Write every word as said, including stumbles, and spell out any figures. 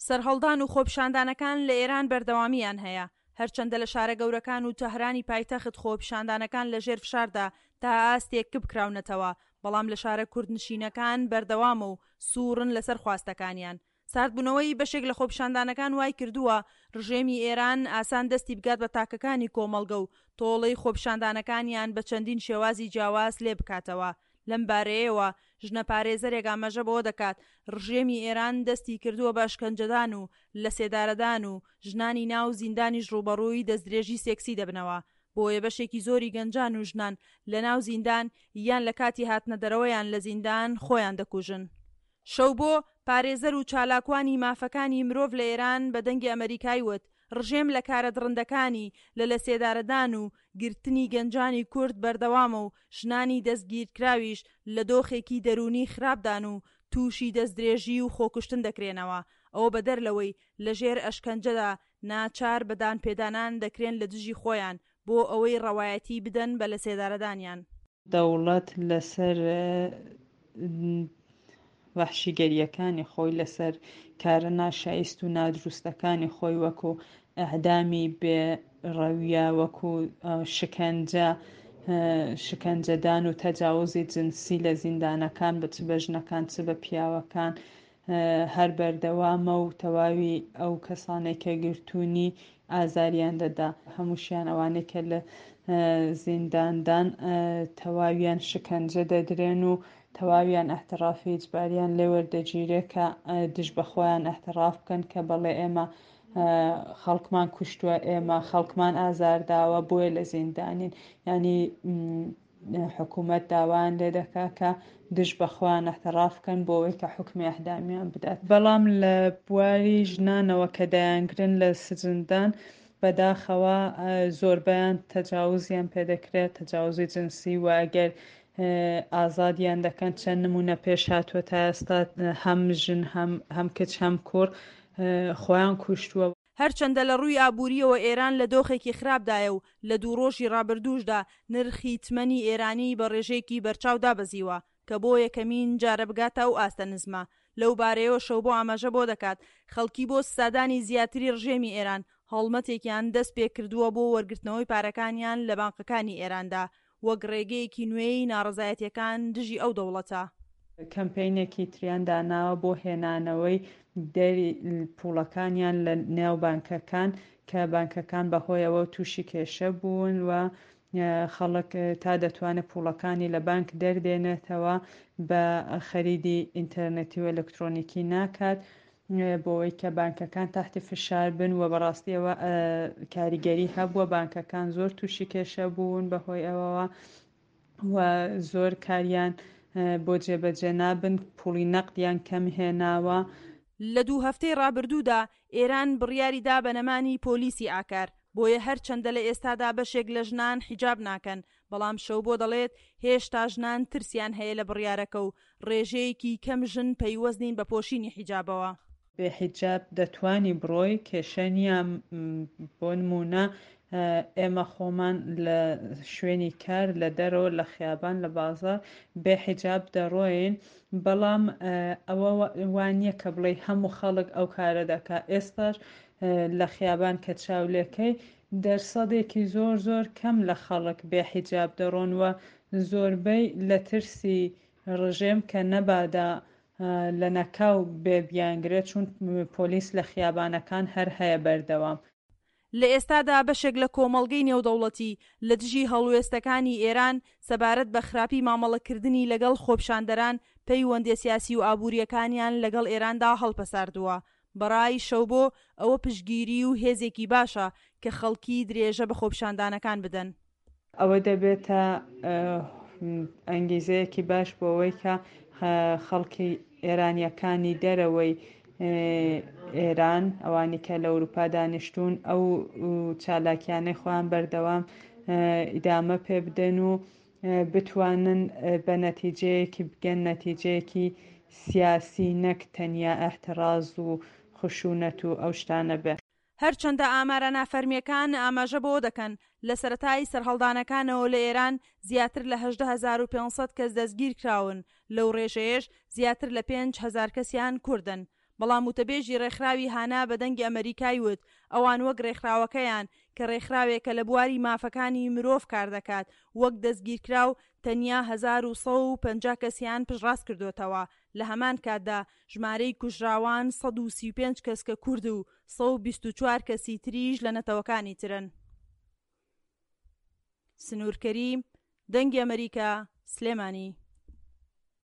سەرهەڵدان و خۆپیشاندانەکان لە ئێران بەردەوامییان هەیە، هەرچەندە لە شارە گەورەکان و تەهرانی پایتەخت خۆپیشاندانەکان لە ژێر فشاردا تا ئاستێک کپ کراونەتەوە، بەڵام لە شارە کوردنشینەکان بەردەوامە و سوورن لەسەر خواستەکانیان. ساردبوونەوەی بەشێک لە خۆپیشاندانەکان وای کردووە ڕژێمی ئێران ئاسان دەستی بگات بە تاکەکانی کۆمەڵگە و تۆڵەی خۆپیشاندانەکانیان بە چەندین شێوازی جیاواز لێ بکاتەوە. لەم بارەیەوە ژنە پارێزەرێک ئاماژە بەوە دەکات ڕژێمی ئێران دەستی کردووە بە ئەشکەنجەدان و لەسێدارەدان و ژنانی ناو زیندانیش ڕووبەڕووی دەستدرێژی سێکسی دەبنەوە، بۆیە بەشێکی زۆری گەنجان و ژنان لە ناو زیندان یان لە کاتی هاتنە دەرەوەیان لە زیندان خۆیان دەکوژن. شەوبۆ، پارێزەر و چالاکوانی مافەکانی مرۆڤ لە ئێران بە دەنگی ئەمەریکای وت، ڕژێم لە کارە دڕندەکانی لە لەسێدارەدان و گرتنی گەنجانی کورد بەردەوامە و ژنانی دەستگیرکراویش لە دۆخێکی دەروونی خراپدان و تووشی دەستدرێژی و خۆکوشتن دەکرێنەوە، ئەوە بەدەر لەوەی لەژێر ئەشکەنجەدا ناچار بە دانپێدانان دەکرێن لە دژی خۆیان بۆ ئەوەی ڕەوایەتی بدەن بە لەسێدارەدانیان. دەوڵەت لەسەر وەحشیگەرییەکانی خۆی، لەسەر کارە ناشایست و نادروستەکانی خۆی، وەکو ئەعدامی بێ ڕەویە، وەکو شکەنجە، شکەنجەدان و تەجاوزی جنسی لە زیندانەکان، بە چ بە ژنەکان چ بە پیاوەکان، هەر بەردەوامە و تەواوی ئەو کەسانەی کە گرتوونی ئازاریان دەدا. هەمووشیان ئەوانەی کە لە زینداندان تەواویان شکەنجە دەدرێن و تەواویان ئیعترافی ئیجباریان لێ وەردەگیرێ کە دژ بە خۆیان ئیعتراف بکەن کە بەڵێ ئێمە خەڵکمان کوشتووە، ئێمە خەڵکمان ئازارداوە، بۆیە لە زیندانین. یعنی حکوومەت داوایان لێ دەکا کە دژ بە خۆیان ئیعتراف بکەن بۆ ئەوەی کە حوکمی ئیعدامیان بدات. بەڵام لە بواری ژنانەوە کە دەیانگرن لە سجندان، بەداخەوە زۆربەیان تەجاوزیان پێدەکرێت، تەجاوزی جنسی، و ئەگەر ئازادیان دەکەن چەند نمونە پێش هاتووە تا ئێستا هەم ژن هەم کچ هەم کوڕ خۆیان کوشتووە. هەرچەندە لە ڕووی ئابوورییەوە ئێران لە دۆخێکی خراپدایە و لە دوو ڕۆژی ڕابردووشدا نرخی تمەنی ئێرانی بە ڕێژەیەکی بەرچاو دابەزیوە کە بۆ یەکەمین جارە بگاتە ئەو ئاستە نزمە. لەو بارەیەوە شەوبۆ ئاماژە بۆ دەکات خەڵکی بۆ سزادانی زیاتری ڕژێمی ئێران هەڵمەتێکیان دەست پێ کردووە بۆ وەرگرتنەوەی پارەکانیان لە بانقەکانی ئێراندا وەک ڕێگەیەکی نوێی ناڕەزایەتیەکان دژی ئەو دەوڵەتە. کەمپەینێکی تریان داناوە بۆ هێنانەوەی دەری پوڵەکانیان لە نێو بانکەکان کە بانکەکان بەهۆیەوە تووشی کێشە بوون و خەڵک تا دەتوانێت پوڵەکانی لە بانک دەردێنێتەوە بە خەریدی ئینتەرنێتی و ئەلکترۆنیکی ناکات بۆەوەی کە بانکەکان تحتی فشار بن و بەڕاستیەوە کاریگەری هەبووە. بانکەکان زۆر تووشی کێشە بوون بەهۆی ئەوەوە و زۆر کاریان بۆ جێبەجێ نابن، پوڵی نەقدیان کەم هێناوە. لە دوو هەفتەی ڕابردوودا ئێران بڕیاری دا بە نەمانی پۆلیسی ئاکار، بۆیە هەرچەندە لە ئێستادا بەشێک لە ژنان حیجاب ناکەن، بەڵام شەوبۆ دەڵێت هێشتا ژنان ترسیان هەیە لە بڕیارەکە و ڕێژەیەکی کەم ژن پەیوەست نین بە پۆشینی حیجابەوە. بێ حیجاب دەتوانی بڕۆی، کێشە نییە. بۆ نمونە ئێمە خۆمان لە شوێنی کار، لە دەرەوە، لە خیابان، لە بازار بێ حیجاب دەڕۆین، بەڵام ئەوە وانییە کە بڵێ هەموو خەڵک ئەو کارە دەکا. ئێستاش لە خیابان کە چاولێکەی دەرسەدێکی زۆر زۆر کەم لە خەڵک بێ حیجاب دەڕۆن و زۆربەی لە ترسی ڕژێم کە نەبادا لە نەکاو بێ بیانگرێت، چون پۆلیس لە خیابانەکان هەر هەیە بەردەوام. لە ئێستادا بەشێک لە کۆمەڵگەی نێودەوڵەتی لە دژی هەڵوێستەکانی ئێران سەبارەت بە خراپی مامەڵەکردنی لەگەڵ خۆپیشاندەران پەیوەندیە سیاسی و ئابووریەکانیان لەگەڵ ئێراندا هەڵپەساردووە. بەڕای شەوبۆ ئەوە پشتگیری و هێزێکی باشە کە خەڵکی درێژە بە خۆپیشاندانەکان بدەن. ئەوە دەبێتە ئەنگیزەیەکی باش بۆ ئەوەی کە خەڵکی ئێرانیەکانی دەرەوەی ئێران، ئەوانی کە لە ئەوروپا دانیشتوون، ئەو چالاکیانەی خۆیان بەردەوام ئیدامە پێ بدەن و بتوانن بە نەتیجەیەکی بگەن، نەتیجەیەکی سیاسی نەک تەنیا ئیعتراز و خشونەت و ئەو شتانە بێ. هەرچەندە ئامارە نافەرمیەکان ئاماژە بەوە دەکەن لە سەرەتای سەرهەڵدانەکانەوە لە ئێران زیاتر لە هەژدە هەزار و پێنج سەد کەس دەستگیرکراون، لەو ڕێژەیەش زیاتر لە پێنج هەزار کەسیان کوردن، بەڵام وتەبێژی ڕێکخراوی هانا بە دەنگی ئەمەریکای وت ئەوان وەک ڕێکخراوەکەیان کە ڕێکخراوێکە لە بواری مافەکانی مرۆڤ کاردەکات وەک دەستگیرکراو تەنیا هەزار و سەد و پەنجا کەسیان پشتڕاست کردۆتەوە لە هەمان کاتدا ژمارەی کوژراوان سەد و سی و پێنج کەس کە کورد و سەد و بیست و چوار کەسی تریش لە نەتەوەکانی ترن. سنوور کەریم، دەنگی ئەمەریکا، سلێمانی.